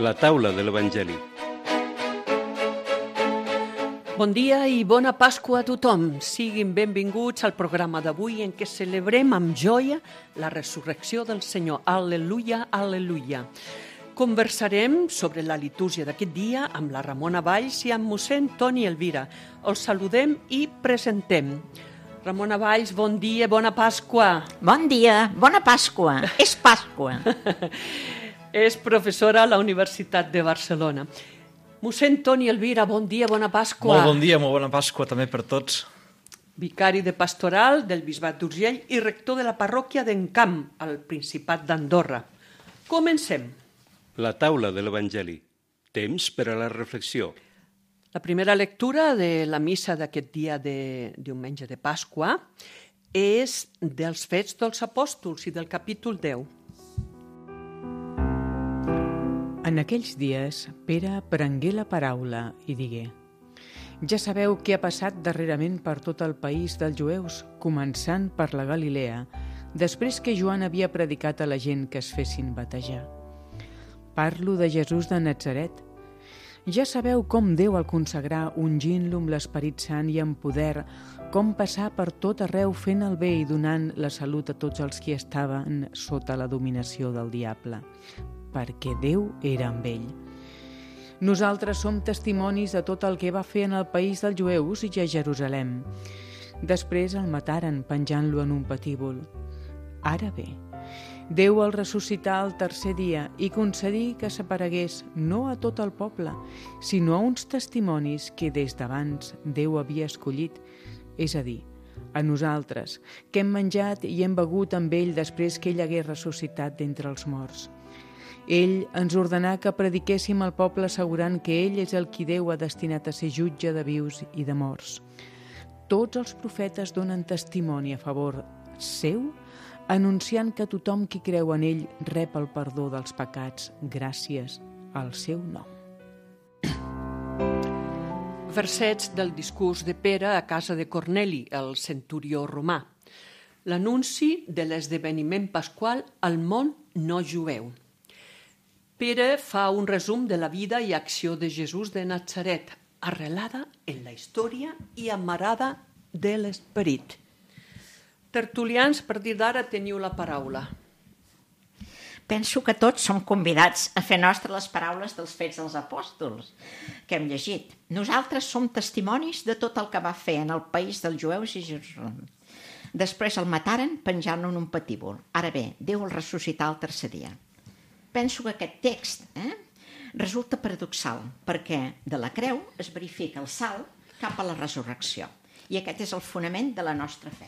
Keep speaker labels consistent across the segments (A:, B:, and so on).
A: La taula de l'Evangeli.
B: Bon dia i bona Pasqua a tothom. Siguin benvinguts al programa d'avui en què celebrem amb joia la resurrecció del Senyor. Al·leluia, al·leluia. Conversarem sobre la litúrgia d'aquest dia amb la Ramona Valls i amb mossèn Toni Elvira. Els saludem i presentem. Ramona Valls, bon dia, bona Pasqua.
C: Bon dia, bona Pasqua. És Pasqua.
B: És professora a la Universitat de Barcelona. Mossèn Toni Elvira, bon dia, bona Pasqua.
D: Molt bon dia, molt bona Pasqua també per tots.
B: Vicari de Pastoral del Bisbat d'Urgell i rector de la parròquia d'Encamp, al Principat d'Andorra. Comencem.
A: La taula de l'Evangeli. Temps per a la reflexió.
B: La primera lectura de la missa d'aquest dia de diumenge de Pasqua és dels Fets dels Apòstols i del capítol 10.
E: En aquells dies, Pere prengué la paraula i digué: «Ja sabeu què ha passat darrerament per tot el país dels jueus, començant per la Galilea, després que Joan havia predicat a la gent que es fessin batejar. Parlo de Jesús de Natzaret. Ja sabeu com Déu el consagrà ungint-lo amb l'Esperit Sant i amb poder, com passar per tot arreu fent el bé i donant la salut a tots els qui estaven sota la dominació del diable, perquè Déu era amb ell. Nosaltres som testimonis de tot el que va fer en el país dels jueus i a Jerusalem. Després el mataren penjant-lo en un patíbul. Ara bé, Déu el ressuscità el tercer dia i concedí que s'aparegués no a tot el poble, sinó a uns testimonis que des d'abans Déu havia escollit, és a dir, a nosaltres, que hem menjat i hem begut amb ell després que ell hagués ressuscitat d'entre els morts. Ell ens ordenà que prediquéssim al poble assegurant que ell és el qui Déu ha destinat a ser jutge de vius i de morts. Tots els profetes donen testimoni a favor seu, anunciant que tothom qui creu en ell rep el perdó dels pecats gràcies al seu nom».
B: Versets del discurs de Pere a casa de Corneli, el centurió romà. L'anunci de l'esdeveniment pasqual al món no jueu. Pere fa un resum de la vida i acció de Jesús de Natzaret, arrelada en la història i amarada de l'esperit. Tertulians, per dir d'ara, teniu la paraula.
C: Penso que tots som convidats a fer nostres les paraules dels Fets dels Apòstols que hem llegit. Nosaltres som testimonis de tot el que va fer en el país dels jueus i Jerusalem. Després el mataren penjant-lo en un patíbul. Ara bé, Déu el ressuscità el tercer dia. Penso que aquest text resulta paradoxal, perquè de la creu es verifica el salt cap a la resurrecció. I aquest és el fonament de la nostra fe.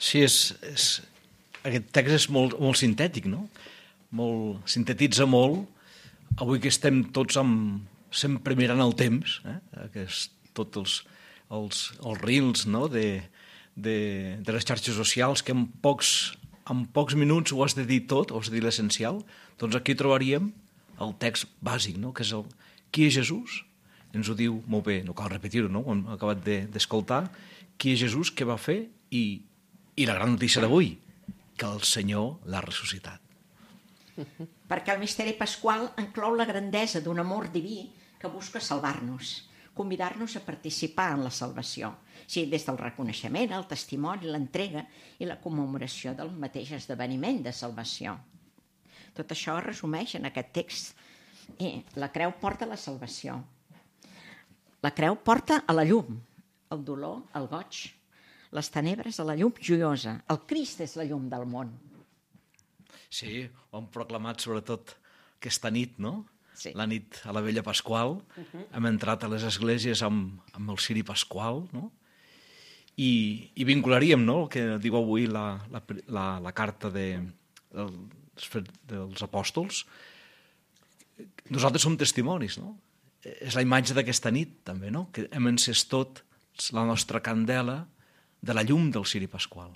D: Sí, aquest text és molt sintètic, no? Sintetitza molt. Avui que estem tots sempre mirant el temps, tots els reels, no? de les xarxes socials, que en pocs minuts ho has de dir tot, ho has de dir l'essencial, doncs aquí trobaríem el text bàsic, no? Que és qui és Jesús? Ens ho diu molt bé, no cal repetir-ho, no? Ho hem acabat d'escoltar. Qui és Jesús, què va fer i la gran notícia d'avui, que el Senyor l'ha ressuscitat.
C: Perquè el misteri pasqual enclou la grandesa d'un amor diví que busca salvar-nos, convidar-nos a participar en la salvació, des del reconeixement, el testimoni, l'entrega i la commemoració del mateix esdeveniment de salvació. Tot això es resumeix en aquest text. La creu porta a la salvació. La creu porta a la llum, el dolor, el goig, les tenebres a la llum joiosa. El Crist és la llum del món.
D: Sí, ho hem proclamat sobretot aquesta nit, no?
C: Sí.
D: La nit a la vella Pasqual. Hem entrat a les esglésies amb el ciri pasqual, no? I vincularíem, no?, el que diu avui la carta dels apòstols. Nosaltres som testimonis, no? És la imatge d'aquesta nit, també, no?, que hem encès tot la nostra candela de la llum del ciri pasqual.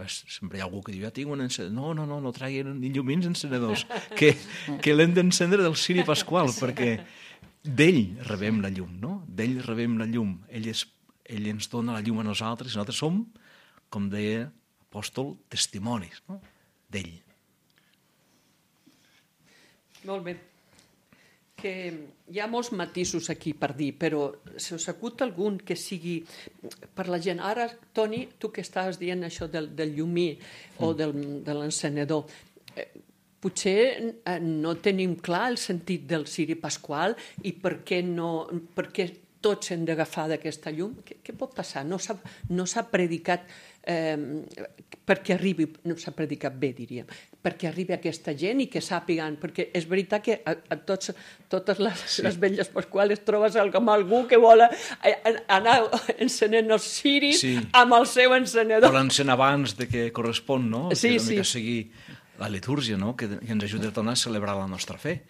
D: Sempre hi ha algú que diu, ja tinc un encenedor. No traguin ni llumins encenedors, que l'hem d'encendre del ciri pasqual, perquè d'ell rebem la llum, no? D'ell rebem la llum. Ell ens dona la llum a nosaltres i nosaltres som, com deia l'apòstol, testimonis, no? D'ell.
B: Molt bé. Que hi ha molts matisos aquí per dir, però se us acut algun que sigui per la gent. Ara, Toni, tu que estàs dient això del llumí o de l'encenedor, potser no tenim clar el sentit del ciri pasqual i per què tots hem d'agafar d'aquesta llum. Què pot passar? No s'ha predicat perquè arribi, no s'ha predicat bé, diríem, perquè arribi aquesta gent i que sàpiguen, perquè és veritat que a totes les velles pasquales trobes com algú que vol anar encenent els ciris amb el seu encenedor.
D: O l'encén abans de que correspon, no?
B: Sí,
D: que una mica seguir la litúrgia, no? Que ens ajuda a tornar a celebrar la nostra fe.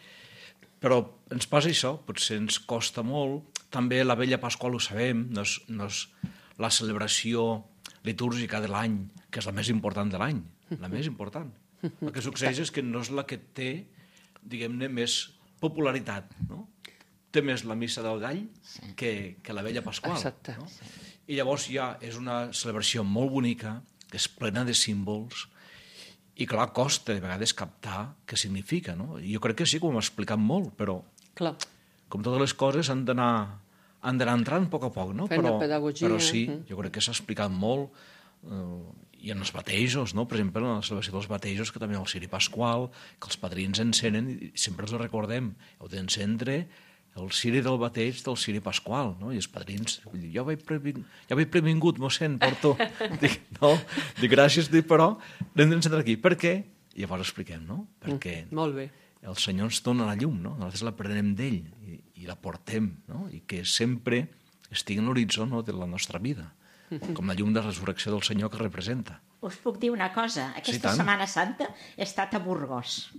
D: Però ens passa això, potser ens costa molt. També la vella Pasqual ho sabem, no és la celebració litúrgica de l'any, que és la més important de l'any, la més important. El que succeeix és que no és la que té, diguem-ne, més popularitat, no? Té més la missa del gall que la vella Pasqual.
B: Exacte.
D: No? I llavors ja és una celebració molt bonica, que és plena de símbols, i clar, costa de vegades captar què significa, no? Jo crec que sí que ho hem explicat molt, però
B: Clar.
D: com totes les coses han d'anar entrant a poc, no?
B: Fent la pedagogia.
D: Però sí, jo crec que s'ha explicat molt, i en els batejos, no? Per exemple, en la celebració dels batejos, que també el ciri pasqual, que els padrins encenen, i sempre els ho recordem, heu d'encendre el ciri del bateig del ciri pasqual, no? I els padrins, jo vaig previngut, mossèn, porto. Dic, gràcies, però l'hem d'encendre aquí. Per què? I llavors expliquem, no? Perquè
B: Molt bé.
D: el Senyor ens dona la llum, no? Nosaltres la prenem d'ell i la portem, no? I que sempre estigui en l'horitzó, no, de la nostra vida, com la llum de resurrecció del Senyor que representa.
C: Us puc dir una cosa, aquesta Setmana Santa he estat a Burgos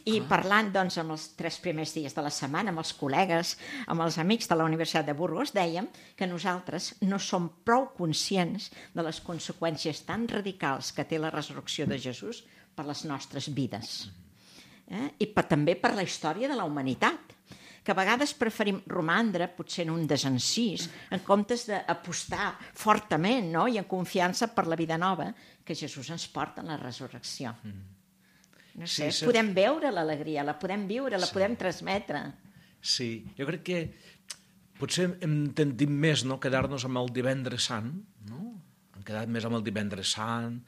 C: i parlant doncs amb els 3 primers dies de la setmana, amb els col·legues, amb els amics de la Universitat de Burgos, dèiem que nosaltres no som prou conscients de les conseqüències tan radicals que té la resurrecció de Jesús per les nostres vides. I també per la història de la humanitat, que a vegades preferim romandre potser en un desencís en comptes d'apostar fortament, no? I en confiança per la vida nova que Jesús ens porta en la resurrecció. No sé, podem veure l'alegria, la podem viure, la podem transmetre.
D: Sí, jo crec que potser hem tendit més, no, quedar-nos amb el divendres sant, no? Hem quedat més amb el divendres sant,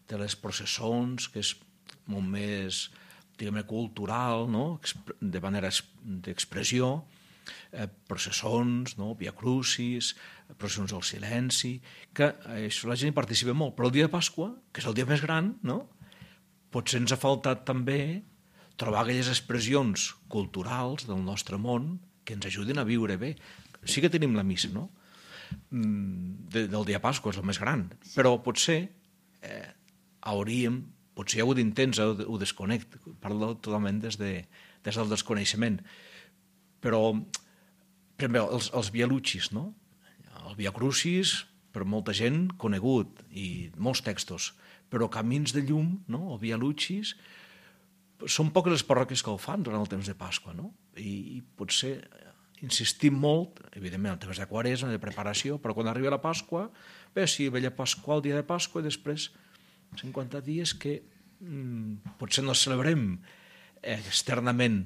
D: de les processons, que és molt més, diguem-ne, cultural, no? De manera d'expressió, processons, no? Via Crucis, processons del silenci, que això la gent hi participa molt. Però el dia de Pasqua, que és el dia més gran, no? Potser ens ha faltat també trobar aquelles expressions culturals del nostre món que ens ajuden a viure bé. Sí que tenim la missa, no? Del dia de Pasqua és el més gran, però potser potser hi ha hagut intents, ho desconnect, parlo totalment des del desconeixement, però per exemple, els Via Lucis, no? El Via Crucis, per molta gent, conegut, i molts textos, però Camins de Llum, no? El Via Lucis, són poques les parròquies que ho fan durant el temps de Pasqua, no? I potser insistim molt, evidentment, en temes de quaresma, de preparació, però quan arriba la Pasqua, bé, sí, vella Pasqua, el dia de Pasqua, i després 50 dies que potser no celebrem externament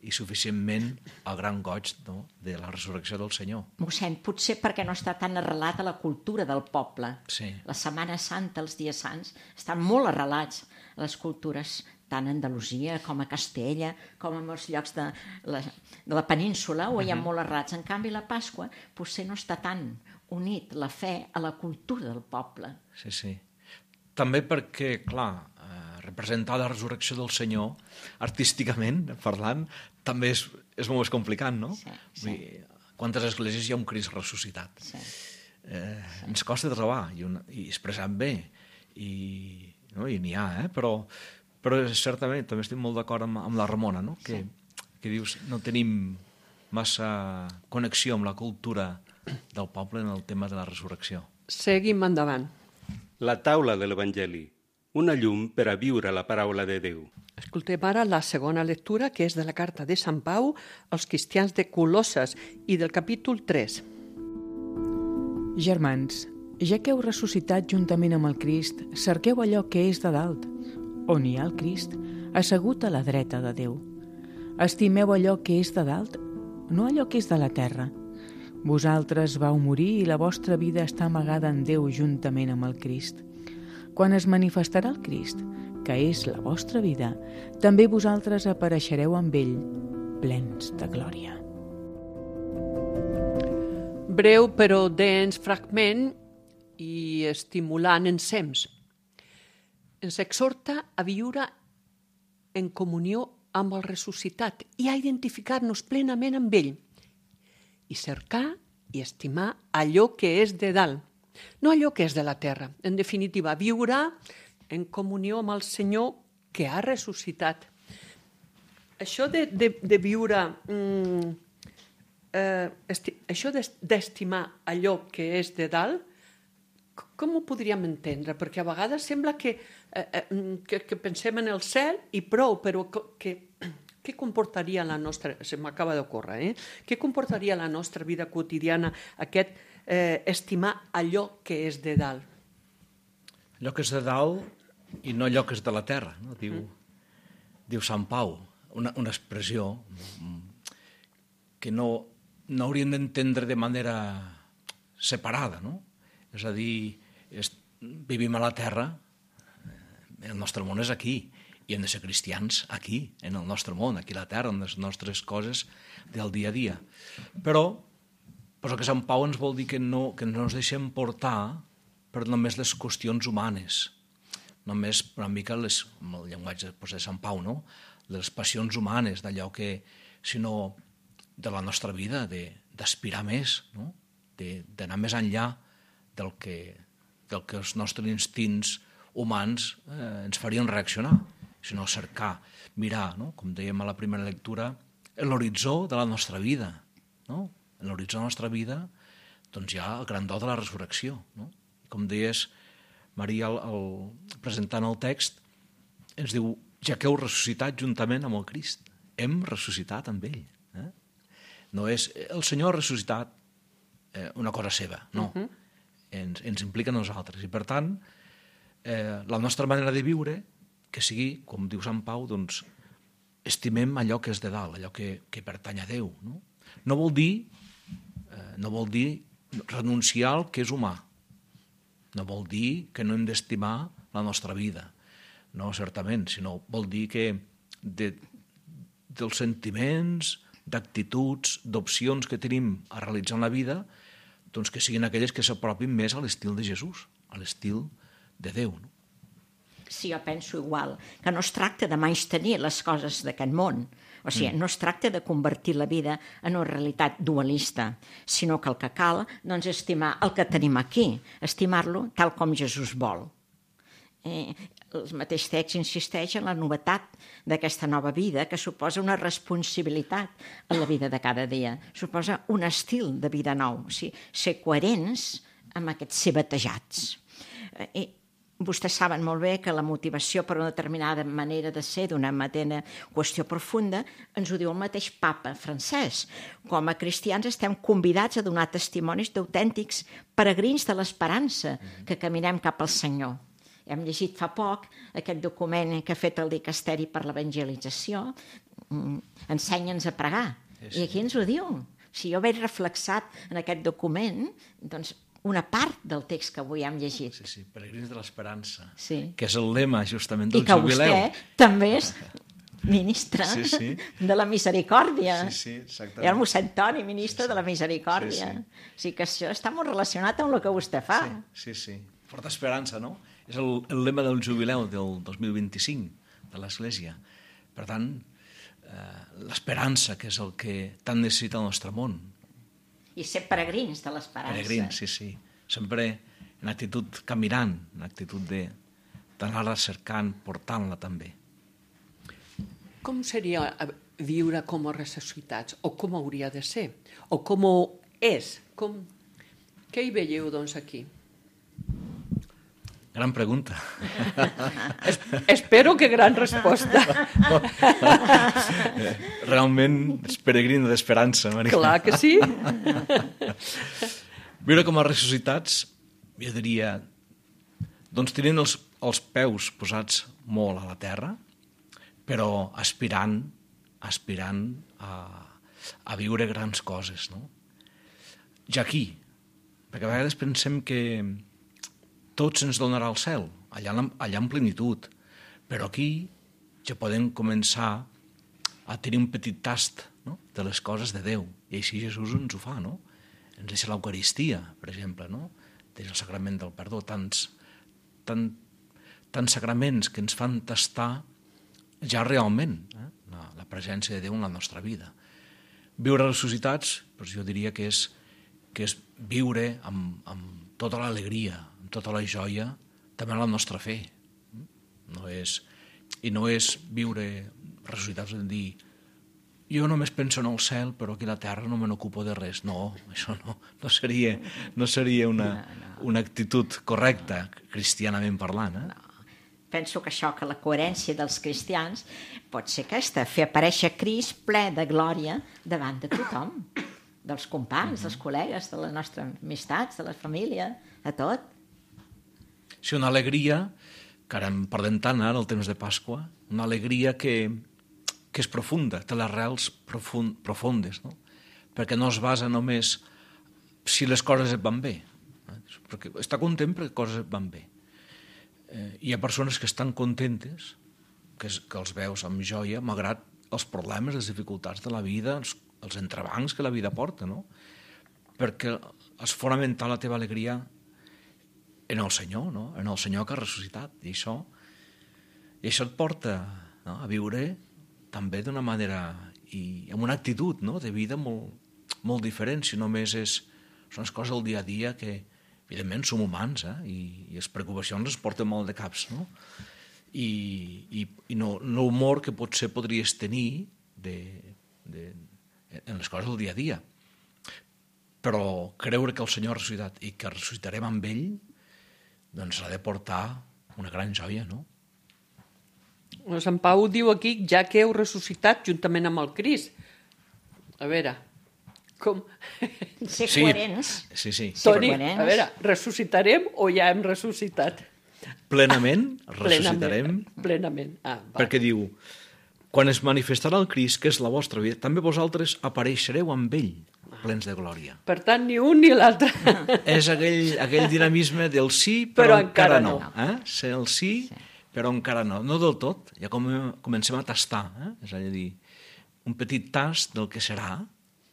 D: i suficientment el gran goig, no, de la resurrecció del Senyor.
C: Mossèn, potser perquè no està tan arrelat a la cultura del poble.
D: Sí.
C: La Setmana Santa, els dies sants, estan molt arrelats a les cultures tant a Andalusia com a Castella, com a molts llocs de la península, on hi ha molt arrelats. En canvi, la Pasqua potser no està tan unit la fe a la cultura del poble.
D: Sí, sí. També perquè, clar, representar la resurrecció del Senyor, artísticament parlant, també és molt més complicat, no?
C: Sí.
D: Vull dir, quantes esglésies hi ha un Crist ressuscitat?
C: Sí.
D: Ens costa trobar, i expressant bé, i n'hi ha, però certament també estic molt d'acord amb la Ramona, no? Que dius, no tenim massa connexió amb la cultura del poble en el tema de la resurrecció.
B: Seguim endavant.
A: La taula de l'Evangeli, una llum per a viure la paraula de Déu.
B: Escoltem ara la segona lectura, que és de la carta de Sant Pau als cristians de Colosses i del capítol 3.
E: Germans, ja que heu ressuscitat juntament amb el Crist, cerqueu allò que és de dalt, on hi ha el Crist, assegut a la dreta de Déu. Estimeu allò que és de dalt, no allò que és de la terra. Vosaltres vau morir i la vostra vida està amagada en Déu juntament amb el Crist. Quan es manifestarà el Crist, que és la vostra vida, també vosaltres apareixereu amb ell, plens de glòria.
B: Breu però dens fragment i estimulant ensems. Ens exhorta a viure en comunió amb el ressuscitat i a identificar-nos plenament amb ell i cercar i estimar allò que és de dalt, no allò que és de la terra. En definitiva, viure en comunió amb el Senyor que ha ressuscitat. Això de viure, això d'estimar allò que és de dalt, com ho podríem entendre? Perquè a vegades sembla que pensem en el cel i prou, però què comportaria la nostra... Se m'acaba d'ocórrer, Què comportaria la nostra vida quotidiana aquest estimar allò que és de dalt?
D: Allò que és de dalt i no allò que és de la terra, no? Diu Sant Pau, una expressió que no hauríem d'entendre de manera separada, no? És a dir, vivim a la terra, el nostre món és aquí, i hem de ser cristians aquí, en el nostre món, aquí a la terra, en les nostres coses del dia a dia. Però el que Sant Pau ens vol dir que no ens deixem portar per només les qüestions humanes, només una mica amb el llenguatge de Sant Pau, no? Les passions humanes, d'allò que, sinó de la nostra vida, d'aspirar més, no? D'anar més enllà del que els nostres instints humans ens farien reaccionar, sinó cercar, mirar, no? Com dèiem a la primera lectura, l'horitzó de la nostra vida, no? En l'horitzó de la nostra vida doncs hi ha el gran do de la resurrecció, no? Com deies, Maria, presentant el text, ens diu, ja que heu ressuscitat juntament amb el Crist, hem ressuscitat amb ell. No és el Senyor ha ressuscitat una cosa seva, no. Ens implica a nosaltres. I, per tant, la nostra manera de viure, que sigui, com diu Sant Pau, doncs, estimem allò que és de dalt, allò que pertany a Déu. No vol dir renunciar al que és humà. No vol dir que no hem d'estimar la nostra vida. No, certament, sinó vol dir que dels sentiments, d'actituds, d'opcions que tenim a realitzar en la vida, doncs que siguin aquelles que s'apropin més a l'estil de Jesús, a l'estil de Déu. No?
C: Sí, jo penso igual, que no es tracta de menystenir les coses d'aquest món, o sigui, no es tracta de convertir la vida en una realitat dualista, sinó que el que cal doncs, és estimar el que tenim aquí, estimar-lo tal com Jesús vol. El mateix text insisteix en la novetat d'aquesta nova vida, que suposa una responsabilitat en la vida de cada dia, suposa un estil de vida nou, o sigui, ser coherents amb aquests ser batejats. Vostès saben molt bé que la motivació per una determinada manera de ser, d'una mateixa qüestió profunda, ens ho diu el mateix papa francès. Com a cristians estem convidats a donar testimonis d'autèntics peregrins de l'esperança que caminem cap al Senyor. Hem llegit fa poc aquest document que ha fet el Dicasteri per l'Evangelització, Ensenya'ns a pregar. I aquí ens ho diu. Si jo veig reflexat en aquest document, doncs una part del text que avui hem llegit.
D: Sí, peregrins de l'esperança,
C: sí.
D: Que és el lema justament del
C: jubileu.
D: jubileu.
C: I que vostè també és ministre de la misericòrdia.
D: Sí, exactament.
C: I el mossèn Toni, ministre de la misericòrdia. O sigui que això està molt relacionat amb el que vostè fa.
D: Sí. Forta esperança, no? És el lema del jubileu del 2025 de l'Església. Per tant, l'esperança, que és el que tant necessita el nostre món.
C: I ser peregrins de l'esperança.
D: Peregrins, sí. Sempre en actitud caminant, en actitud d'anar-la cercant, portant-la també.
B: Com seria viure com a ressuscitats? O com hauria de ser? O com és? Què hi veieu, doncs, aquí?
D: Gran pregunta.
B: Espero que gran resposta.
D: Realment és peregrina d'esperança, Maria.
B: Clar que sí.
D: Viure com a ressuscitats, jo diria, doncs tenint els peus posats molt a la terra, però aspirant aspirant a viure grans coses, no? Ja aquí, perquè a vegades pensem que tot se'ns donarà al cel, allà en plenitud, però aquí ja podem començar a tenir un petit tast, no?, de les coses de Déu, i així Jesús ens ho fa, no? Ens deixa l'Eucaristia, per exemple, no? Des del sagrament del perdó, tants sagraments que ens fan tastar ja realment la presència de Déu en la nostra vida. Viure ressuscitats, doncs jo diria que és viure amb tota l'alegria, amb tota la joia, també en la nostra fe. I no és viure ressuscitats en dir jo només penso en el cel, però aquí a la terra no me n'ocupo de res. No, això no seria una actitud correcta, cristianament parlant.
C: No. Penso que la coherència dels cristians pot ser aquesta, fer aparèixer Crist ple de glòria davant de tothom, dels companys, dels col·legues, de les nostres amistats, de la família, de tot.
D: Sí, una alegria, que ara en parlem tant ara, el temps de Pasqua, una alegria que és profunda, té les arrels profundes, no? Perquè no es basa només si les coses et van bé, perquè està content perquè les coses et van bé. Hi ha persones que estan contentes, que els veus amb joia, malgrat els problemes, les dificultats de la vida, els entrebancs que la vida porta, no? Perquè és fonamental la teva alegria en el Senyor, no? En el Senyor que ha ressuscitat. I això et porta, no?, a viure també d'una manera i amb una actitud, no?, de vida molt, molt diferent, si només són les coses del dia a dia que, evidentment, som humans, i les preocupacions ens porten molt de caps, no? I no l'humor que potser podries tenir en les coses del dia a dia. Però creure que el Senyor ha ressuscitat i que ressuscitarem amb ell, doncs ha de portar una gran joia, no?
B: Sant Pau diu aquí, ja que heu ressuscitat juntament amb el Crist. A veure, com...
C: Ser coherents.
D: Sí.
B: Toni, a veure, ressuscitarem o ja hem ressuscitat?
D: Plenament, ressuscitarem.
B: Plenament.
D: Perquè diu, quan es manifestarà el Crist, que és la vostra vida, també vosaltres apareixereu amb ell, plens de glòria.
B: Per tant, ni un ni l'altre.
D: És aquell dinamisme del sí, però encara no. Ser el sí, però encara no. No del tot, ja comencem a tastar. És a dir, un petit tast del que serà,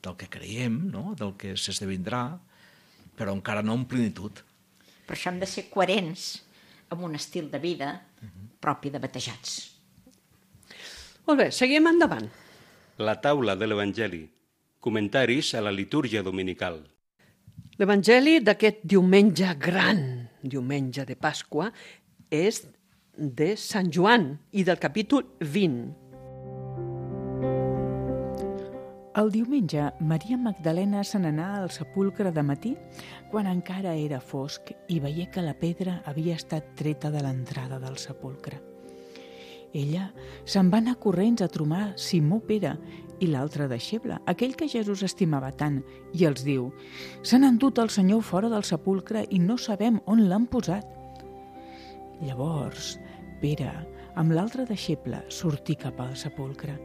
D: del que creiem, no?, del que s'esdevindrà, però encara no en plenitud.
C: Per això hem de ser coherents amb un estil de vida propi de batejats.
B: Molt bé, seguim endavant.
A: La taula de l'Evangeli. Comentaris a la litúrgia dominical.
B: L'Evangeli d'aquest diumenge gran, diumenge de Pasqua, és de Sant Joan i del capítol 20.
E: El diumenge, Maria Magdalena se n'anà al sepulcre de matí quan encara era fosc i veié que la pedra havia estat treta de l'entrada del sepulcre. Ella se'n va anar corrents a trobar Simó Pere i l'altre deixeble, aquell que Jesús estimava tant, i els diu: «S'han endut el Senyor fora del sepulcre i no sabem on l'han posat». Llavors, Pere, amb l'altre deixeble, sortí cap al sepulcre.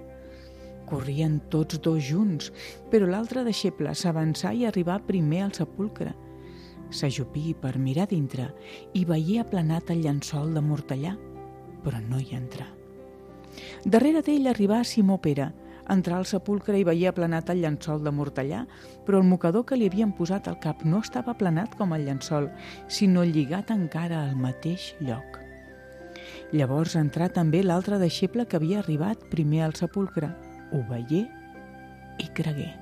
E: Corrien tots dos junts, però l'altre deixeble s'avançà i arribà primer al sepulcre. S'ajupí per mirar dintre i veié aplanat el llençol de mortellà, però no hi entrà. Darrere d'ell arribà Simó Pere, entrà al sepulcre i veié aplanat el llençol de mortellà, però el mocador que li havien posat al cap no estava aplanat com el llençol, sinó lligat encara al mateix lloc. Llavors entrà també l'altre deixeble que havia arribat primer al sepulcre. Ho veié i cregué.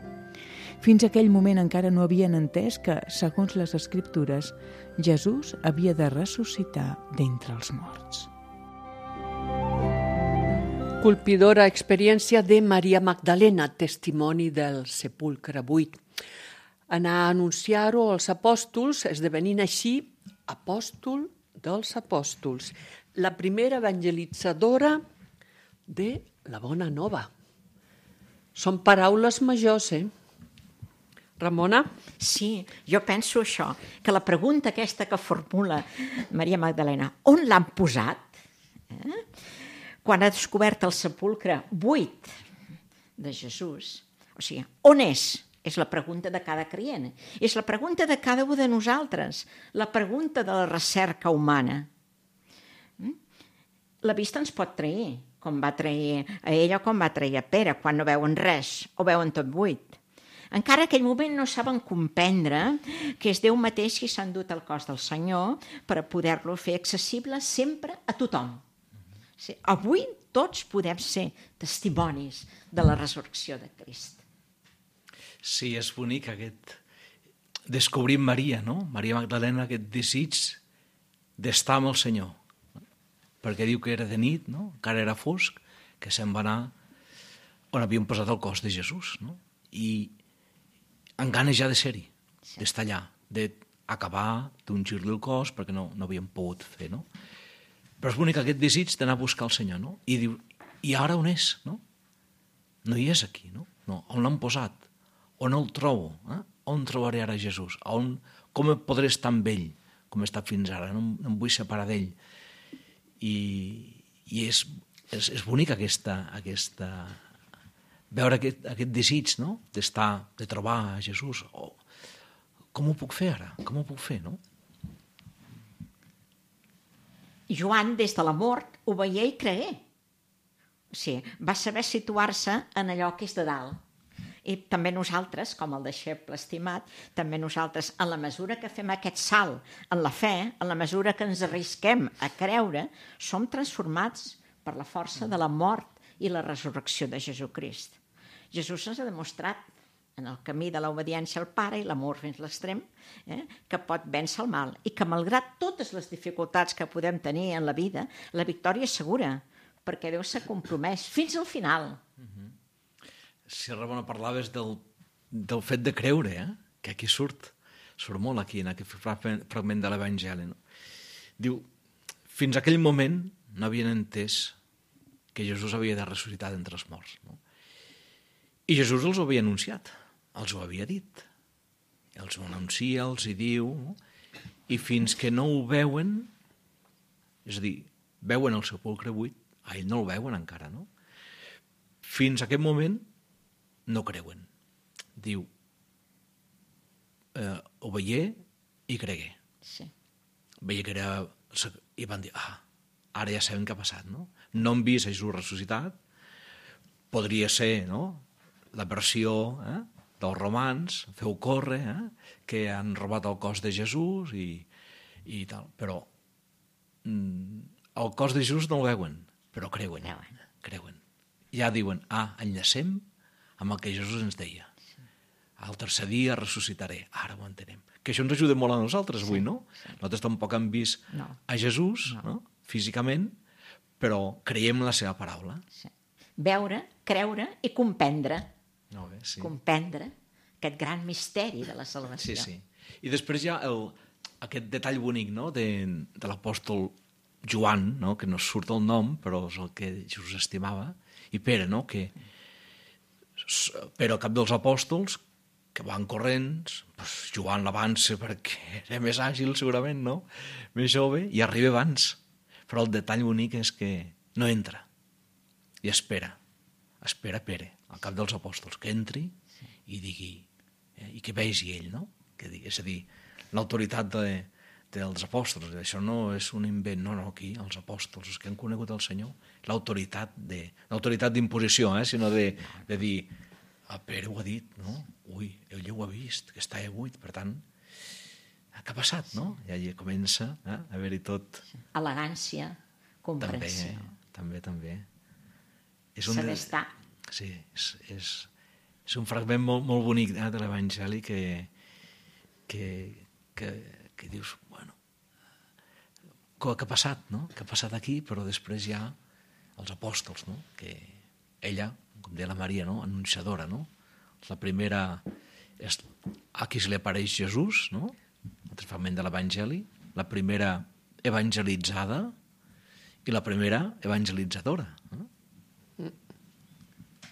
E: Fins a aquell moment encara no havien entès que, segons les Escriptures, Jesús havia de ressuscitar d'entre els morts.
B: Colpidora experiència de Maria Magdalena, testimoni del sepulcre buit. Anar a anunciar-ho als apòstols, esdevenint així apòstol dels apòstols, la primera evangelitzadora de la Bona Nova. Són paraules majors, Ramona?
C: Sí, jo penso això, que la pregunta aquesta que formula Maria Magdalena, on l'han posat? Quan ha descobert el sepulcre buit, de Jesús. O sigui, on és? És la pregunta de cada creient. És la pregunta de cada un de nosaltres. La pregunta de la recerca humana. La vista ens pot trair, com va trair a ella o com va trair a Pere, quan no veuen res o veuen tot buit. Encara en aquell moment no saben comprendre que és Déu mateix qui s'ha endut el cos del Senyor per a poder-lo fer accessible sempre a tothom. Sí, avui tots podem ser testimonis de la resurrecció de Crist.
D: Sí, és bonic aquest descobrir Maria, no? Maria Magdalena, aquest desig d'estar amb el Senyor. Perquè diu que era de nit, no? Encara era fosc, que se'n va anar on havien posat el cos de Jesús, no? I amb ganes ja de ser-hi, d'estar allà, d'acabar, d'ungir-li el cos, perquè no havien pogut fer, no? Però és bonic aquest desig d'anar a buscar el Senyor, no? I diu, i ara on és, no? No hi és aquí, no? No, on l'han posat? On el trobo? On trobaré ara Jesús? Com podré estar amb ell, com he estat fins ara? No em vull separar d'ell. I és bonic veure aquest desig, no? De trobar a Jesús. Com ho puc fer ara? Com ho puc fer, no?
C: Joan, des de la mort, ho veia i cregué. O sigui, va saber situar-se en allò que és de dalt. I també nosaltres, com el deixeble estimat, també nosaltres, en la mesura que fem aquest salt en la fe, en la mesura que ens arrisquem a creure, som transformats per la força de la mort i la resurrecció de Jesucrist. Jesús ens ha demostrat, en el camí de l'obediència al Pare i l'amor fins a l'extrem, que pot vèncer el mal i que, malgrat totes les dificultats que podem tenir en la vida, la victòria és segura, perquè Déu s'ha compromès fins al final.
D: Si Ramona parlaves del fet de creure, que aquí surt molt aquí, en aquest fragment de l'Evangeli. No? Diu, fins a aquell moment no havien entès que Jesús havia de ressuscitar d'entre els morts. No? I Jesús els ho havia anunciat, els ho havia dit. Els ho anuncia, els hi diu, no? I fins que no ho veuen, és a dir, veuen el sepulcre buit, a ell no el veuen encara, no? Fins a aquest moment no creuen. Diu, ho veié i cregué.
C: Sí.
D: Veia que era... I van dir, ara ja sabem què ha passat, no? No hem vist Jesús ressuscitat, podria ser, no?, la versió dels romans, feu córrer, que han robat el cos de Jesús i tal. Però el cos de Jesús no el veuen, però creuen. Ja diuen, enllacem amb el que Jesús ens deia. Al tercer dia ressuscitaré. Ara ho entenem. Que això ens ajuda molt a nosaltres avui, no? Nosaltres tampoc hem vist a Jesús, no? Físicament, però creiem en la seva paraula.
C: Sí. Veure, creure i comprendre.
D: Bé, sí.
C: Comprendre aquest gran misteri de la salvació.
D: Sí. I després hi ha aquest detall bonic, no?, de l'apòstol Joan, no?, que no surt el nom, però és el que Jesús estimava, i Pere, no?, que Pere, el cap dels apòstols, que van corrents, doncs Joan l'avança perquè era més àgil, segurament, no?, més jove, i arriba abans. Però el detall bonic és que no entra i espera Pere, al cap dels apòstols, que entri i digui, i que vegi ell, no? És a dir, l'autoritat dels apòstols. Això no és un invent, no, aquí, els apòstols, els que han conegut el Senyor, l'autoritat d'imposició, sinó de dir, Pere ho ha dit, no? Ui, ell ho ha vist, que està buit, per tant, què ha passat, no? I allà comença a haver-hi tot...
C: Elegància, comprensió.
D: També.
C: S'ha d'estar.
D: Sí, és un fragment molt bonic de l'Evangeli que dius, bueno, què ha passat, no? Què ha passat aquí? Però després hi ha els apòstols, no? Que ella, com deia la Maria, no?, anunciadora, no? La primera és a qui se li apareix Jesús, no?, el fragment de l'Evangeli, la primera evangelitzada i la primera evangelitzadora, no?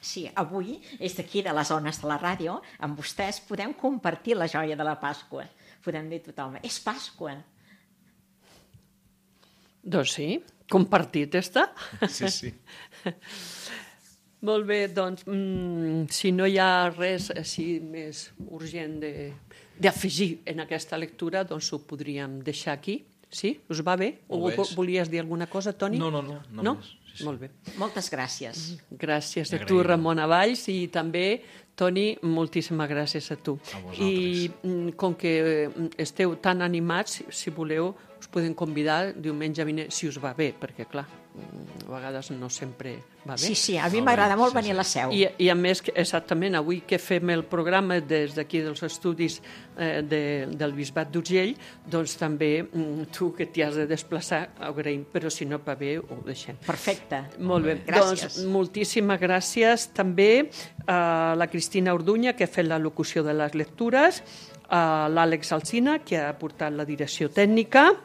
C: Sí, avui, és d'aquí de les zones de la ràdio, amb vostès podem compartir la joia de la Pasqua. Podem dir a tothom, és Pasqua.
B: Doncs sí, compartit està.
D: Sí.
B: Molt bé, doncs, si no hi ha res així més urgent d'afegir en aquesta lectura, doncs ho podríem deixar aquí. Sí? Us va bé? O volies dir alguna cosa, Toni?
D: No.
B: Sí. Molt bé.
C: Moltes gràcies.
B: Gràcies a tu, Ramona Valls, i també, Toni, moltíssimes gràcies a tu.
D: A vosaltres.
B: I com que esteu tan animats, si voleu, us podem convidar diumenge vinent, si us va bé, perquè, clar, a vegades no sempre va bé.
C: Sí, a mi m'agrada molt venir a la Seu.
B: I a més, exactament, avui que fem el programa des d'aquí dels estudis del Bisbat d'Urgell, doncs també tu que t'hi has de desplaçar, ho agraïm, però si no va bé, ho deixem.
C: Perfecte.
B: Molt bé.
C: Gràcies.
B: Doncs moltíssimes gràcies també a la Cristina Orduña, que ha fet la locució de les lectures, a l'Àlex Alsina, que ha portat la direcció tècnica,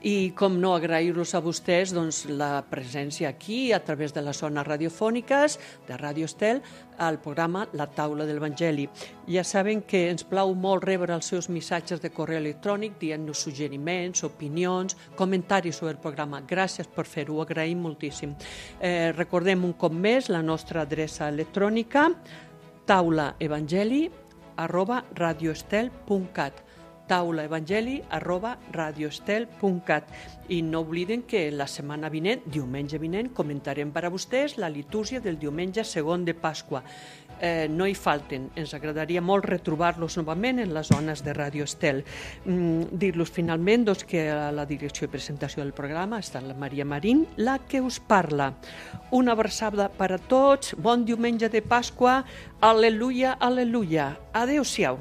B: i com no, agrair-los a vostès doncs, la presència aquí a través de les zones radiofòniques de Ràdio Estel al programa La Taula de l'Evangeli. Ja saben que ens plau molt rebre els seus missatges de correu electrònic dient-nos suggeriments, opinions, comentaris sobre el programa. Gràcies per fer-ho, ho agraïm moltíssim. Recordem un cop més la nostra adreça electrònica taulaevangeli@radioestel.cat taulaevangeli@radioestel.cat. I no obliden que la setmana vinent, diumenge vinent, comentarem per a vostès la litúrgia del diumenge segon de Pasqua. No hi falten, ens agradaria molt retrobar-los novament en les zones de Ràdio Estel. Dir-los finalment doncs, que a la direcció i presentació del programa està la Maria Marín, la que us parla. Una abraçada per a tots, bon diumenge de Pasqua, al·leluia, al·leluia. Adéu-siau.